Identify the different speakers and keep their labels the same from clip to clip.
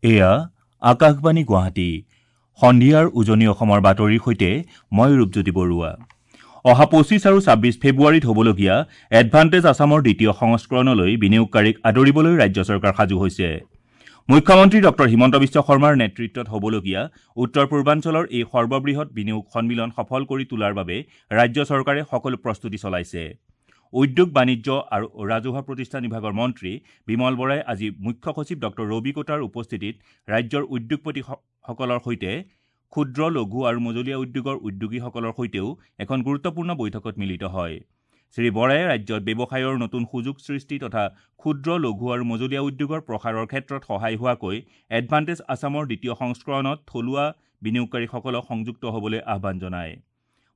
Speaker 1: এয়া আকাশবাণী গুৱাহাটী। সন্ধিয়াৰ উজনি অসমৰ বাতৰিৰ সৈতে মই ৰূপজ্যোতি বৰুৱা। অহা 25 আৰু 26 ফেব্ৰুৱাৰীত হ'বলগীয়া এডভান্টেজ আছামৰ দ্বিতীয় সংস্কৰণলৈ বিনিয়োগকাৰীক আদৰিবলৈ ৰাজ্য চৰকাৰ সাজু হৈছে। মুখ্যমন্ত্ৰী ডক্টৰ হিমন্ত বিশ্ব শৰ্মাৰ নেতৃত্বত হ'বলগীয়া উত্তৰ পূৰ্বাঞ্চলৰ এই সৰ্ববৃহৎ বিনিয়োগ সন্মিলন সফল কৰি তোলাৰ বাবে ৰাজ্য চৰকাৰে সকলো প্ৰস্তুতি চলাইছে। উদ্যোগ, বাণিজ্য আৰু ৰাজহুৱা প্ৰতিষ্ঠান বিভাগৰ মন্ত্ৰী বিমল বৰাই আজি মুখ্য সচিব ডক্টৰ ৰবি কোটাৰ উপস্থিতিত ৰাজ্যৰ উদ্যোগপতিসকলৰ সৈতে ক্ষুদ্ৰ, লঘু আৰু মজলীয়া উদ্যোগৰ উদ্যোগীসকলৰ সৈতেও এখন গুৰুত্বপূৰ্ণ বৈঠকত মিলিত হয়। শ্ৰী বৰাই ৰাজ্যত ব্যৱসায়ৰ নতুন সুযোগ সৃষ্টি তথা ক্ষুদ্ৰ, লঘু আৰু মজলীয়া উদ্যোগৰ প্ৰসাৰৰ ক্ষেত্ৰত সহায় হোৱাকৈ এডভান্টেজ আছামৰ দ্বিতীয় সংস্কৰণত থলুৱা বিনিয়োগকাৰীসকলক সংযুক্ত হ'বলৈ আহ্বান জনায়।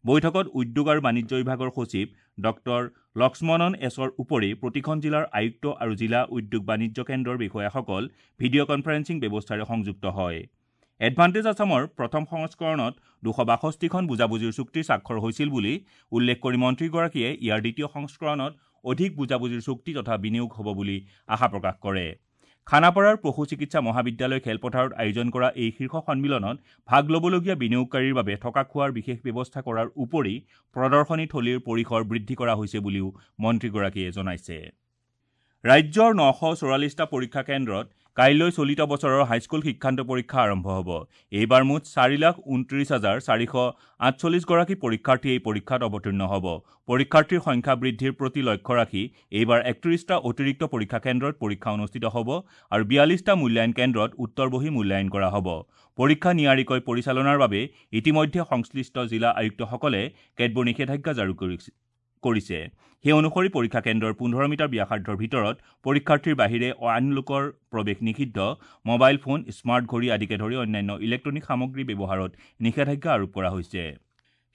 Speaker 1: বৈঠকত উদ্যোগ আৰু বাণিজ্য বিভাগৰ সচিব ডক্টৰ লক্ষ্মণন এছৰ উপৰি প্ৰতিখন জিলাৰ আয়ুক্ত আৰু জিলা উদ্যোগ বাণিজ্য কেন্দ্ৰৰ বিষয়াসকল ভিডিঅ' কনফাৰেন্সিং ব্যৱস্থাৰে সংযুক্ত হয়। এডভান্টেজ আছামৰ প্ৰথম সংস্কৰণত 262খন বুজাবুজিৰ চুক্তি স্বাক্ষৰ হৈছিল বুলি উল্লেখ কৰি মন্ত্ৰীগৰাকীয়ে ইয়াৰ দ্বিতীয় সংস্কৰণত অধিক বুজাবুজিৰ চুক্তি তথা বিনিয়োগ হ'ব বুলি আশা প্ৰকাশ কৰে। খানাপাৰাৰ পশু চিকিৎসা মহাবিদ্যালয় খেলপথাৰত আয়োজন কৰা এই শীৰ্ষ সন্মিলনত ভাগ ল'বলগীয়া বিনিয়োগকাৰীৰ বাবে থকা খোৱাৰ বিশেষ ব্যৱস্থা কৰাৰ উপৰি প্ৰদৰ্শনী থলীৰ পৰিসৰ বৃদ্ধি কৰা হৈছে বুলিও মন্ত্ৰীগৰাকীয়ে জনাইছে। ৰাজ্যৰ 944টা পৰীক্ষা কেন্দ্ৰত কাইলৈ চলিত বছৰৰ হাইস্কুল শিক্ষান্ত পৰীক্ষা আৰম্ভ হ'ব। এইবাৰ মুঠ 4,29,448 গৰাকী পৰীক্ষাৰ্থী এই পৰীক্ষাত অৱতীৰ্ণ হ'ব। পৰীক্ষাৰ্থীৰ সংখ্যা বৃদ্ধিৰ প্ৰতি লক্ষ্য ৰাখি এইবাৰ 31টা অতিৰিক্ত পৰীক্ষা কেন্দ্ৰত পৰীক্ষা অনুষ্ঠিত হ'ব আৰু 42টা মূল্যায়ন কেন্দ্ৰত উত্তৰ বহী মূল্যায়ন কৰা হ'ব। পৰীক্ষা নিয়াৰিকৈ পৰিচালনাৰ বাবে ইতিমধ্যে সংশ্লিষ্ট জিলা আয়ুক্তসকলে কেতবোৰ নিষেধাজ্ঞা জাৰি কৰিছে। সেই অনুসৰি পৰীক্ষা কেন্দ্ৰৰ 15 মিটাৰ ব্যাসাৰ্ধৰ ভিতৰত পৰীক্ষাৰ্থীৰ বাহিৰে আন লোকৰ প্ৰৱেশ নিষিদ্ধ, মোবাইল ফোন, স্মাৰ্ট ঘড়ী আদিকে ধৰি অন্যান্য ইলেক্ট্ৰনিক সামগ্ৰী ব্যৱহাৰত নিষেধাজ্ঞা আৰোপ কৰা হৈছে।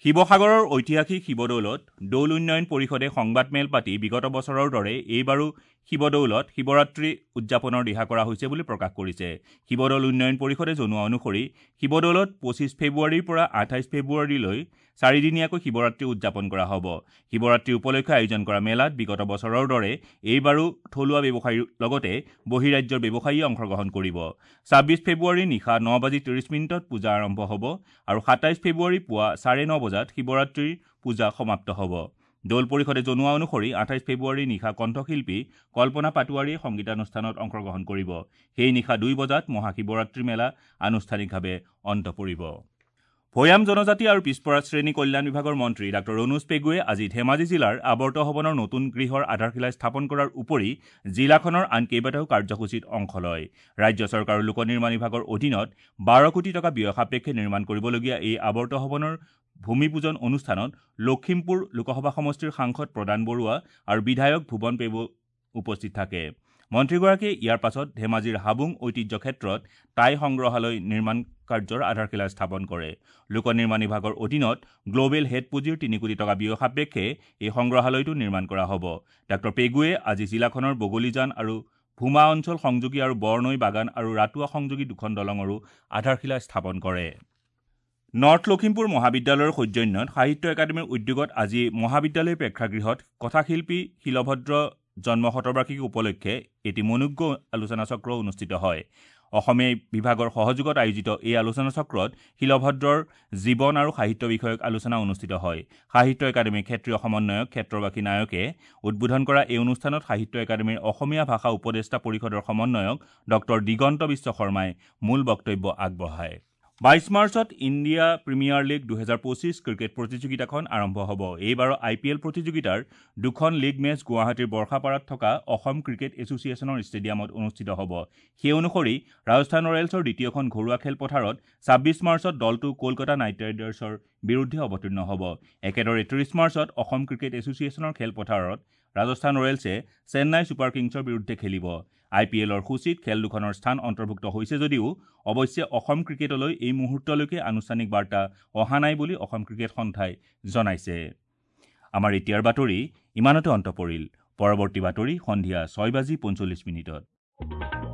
Speaker 1: শিৱসাগৰৰ ঐতিহাসিক শিৱদৌলত দৌল উন্নয়ন পৰিষদে সংবাদমেল পাতি বিগত বছৰৰ দৰে এইবাৰো শিৱদৌলত শিৱৰাত্ৰি উদযাপনৰ দিহা কৰা হৈছে বুলি প্ৰকাশ কৰিছে। শিৱদৌল উন্নয়ন পৰিষদে জনোৱা অনুসৰি শিৱদৌলত 25 ফেব্ৰুৱাৰীৰ পৰা 28 ফেব্ৰুৱাৰীলৈ চাৰিদিনীয়াকৈ শিৱৰাত্ৰি উদযাপন কৰা হ'ব। শিৱৰাত্ৰি উপলক্ষে আয়োজন কৰা মেলাত বিগত বছৰৰ দৰে এইবাৰো থলুৱা ব্যৱসায়ীৰ লগতে বহিৰাজ্যৰ ব্যৱসায়ীয়ে অংশগ্ৰহণ কৰিব। 26 ফেব্ৰুৱাৰী নিশা 9:30 পূজা আৰম্ভ হ'ব আৰু 27 ফেব্ৰুৱাৰী পুৱা 9:30 বজাত শিৱৰাত্ৰিৰ পূজা সমাপ্ত হ'ব। দৌল পৰিষদে জনোৱা অনুসৰি 28 ফেব্ৰুৱাৰী নিশা কণ্ঠশিল্পী কল্পনা পাটোৱাৰীয়ে সংগীতানুষ্ঠানত অংশগ্ৰহণ কৰিব। সেই নিশা 2 বজাত মহাশিৱৰাত্ৰি মেলা আনুষ্ঠানিকভাৱে অন্ত পৰিব। ভৈয়াম জনজাতি আৰু পিছপৰা শ্ৰেণী কল্যাণ বিভাগৰ মন্ত্ৰী ডাঃ ৰণোজ পেগুৱে আজি ধেমাজি জিলাৰ আৱৰ্ত ভৱনৰ নতুন গৃহৰ আধাৰশিলা স্থাপন কৰাৰ উপৰি জিলাখনৰ আন কেইবাটাও কাৰ্যসূচীত অংশ লয়। ৰাজ্য চৰকাৰৰ লোক নিৰ্মাণ বিভাগৰ অধীনত 12 কোটি টকা ব্যয় সাপেক্ষে নিৰ্মাণ কৰিবলগীয়া এই আৱৰ্ত ভৱনৰ ভূমি পূজন অনুষ্ঠানত লখিমপুৰ লোকসভা সমষ্টিৰ সাংসদ প্ৰদান বৰুৱা আৰু বিধায়ক ভুৱন পেগু উপস্থিত থাকে। মন্ত্ৰীগৰাকীয়ে ইয়াৰ পাছত ধেমাজিৰ হাবুং ঐতিহ্য ক্ষেত্ৰত টাই সংগ্ৰহালয় নিৰ্মাণ কাৰ্যৰ আধাৰশিলা স্থাপন কৰে। লোক নিৰ্মাণ বিভাগৰ অধীনত গ্ল'বেল হেড পুঁজিৰ 3 কোটি টকা ব্যয় সাপেক্ষে এই সংগ্ৰহালয়টো নিৰ্মাণ কৰা হ'ব। ডাঃ পেগুৱে আজি জিলাখনৰ বগলীজান আৰু ভূমা অঞ্চল সংযোগী আৰু বৰনৈ বাগান আৰু ৰাতুৱা সংযোগী দুখন দলঙৰো আধাৰশিলা স্থাপন কৰে। নৰ্থ লখিমপুৰ মহাবিদ্যালয়ৰ সৌজন্যত সাহিত্য একাডেমীৰ উদ্যোগত আজি মহাবিদ্যালয় প্ৰেক্ষাগৃহত কথাশিল্পী শিলভদ্ৰ জন্ম শতবাৰ্ষিকী উপলক্ষে এটি মনোজ্ঞ আলোচনাচক্ৰ অনুষ্ঠিত হয়। অসমীয়া বিভাগৰ সহযোগত আয়োজিত এই আলোচনাচক্ৰত শিলভদ্ৰৰ জীৱন আৰু সাহিত্য বিষয়ক আলোচনা অনুষ্ঠিত হয়। সাহিত্য একাডেমীৰ ক্ষেত্ৰীয় সমন্বয়ক ক্ষেত্ৰবাসী নায়কে উদ্বোধন কৰা এই অনুষ্ঠানত সাহিত্য একাডেমীৰ অসমীয়া ভাষা উপদেষ্টা পৰিষদৰ সমন্বয়ক ডক্টৰ দিগন্ত বিশ্ব শৰ্মাই মূল বক্তব্য আগবঢ়ায়। 22 মাৰ্চত ইণ্ডিয়া প্ৰিমিয়াৰ লীগ 2025 ক্ৰিকেট প্ৰতিযোগিতাখন আৰম্ভ হ'ব। এইবাৰৰ আই পি এল প্ৰতিযোগিতাৰ দুখন লীগ মেচ গুৱাহাটীৰ বৰ্ষাপাৰাত থকা অসম ক্ৰিকেট এছ'চিয়েশ্যনৰ ষ্টেডিয়ামত অনুষ্ঠিত হ'ব। সেই অনুসৰি ৰাজস্থান ৰয়েলছৰ দ্বিতীয়খন ঘৰুৱা খেলপথাৰত 26 মাৰ্চত দলটো কলকাতা নাইট ৰাইডাৰ্ছৰ বিৰুদ্ধে অৱতীৰ্ণ হ'ব। একেদৰে 30 মাৰ্চত অসম ক্ৰিকেট এছ'চিয়েশ্যনৰ খেলপথাৰত ৰাজস্থান ৰয়েলছে চেন্নাই ছুপাৰ কিংছৰ বিৰুদ্ধে খেলিব। আই পি এলৰ সূচীত খেল দুখনৰ স্থান অন্তৰ্ভুক্ত হৈছে যদিও অৱশ্যে অসম ক্ৰিকেটলৈ এই মুহূৰ্তলৈকে আনুষ্ঠানিক বাৰ্তা অহা নাই বুলি অসম ক্ৰিকেট সন্থাই জনাইছে। আমাৰ এতিয়াৰ বাতৰি ইমানতে অন্ত পৰিল। পৰৱৰ্তী বাতৰি সন্ধিয়া 6:45।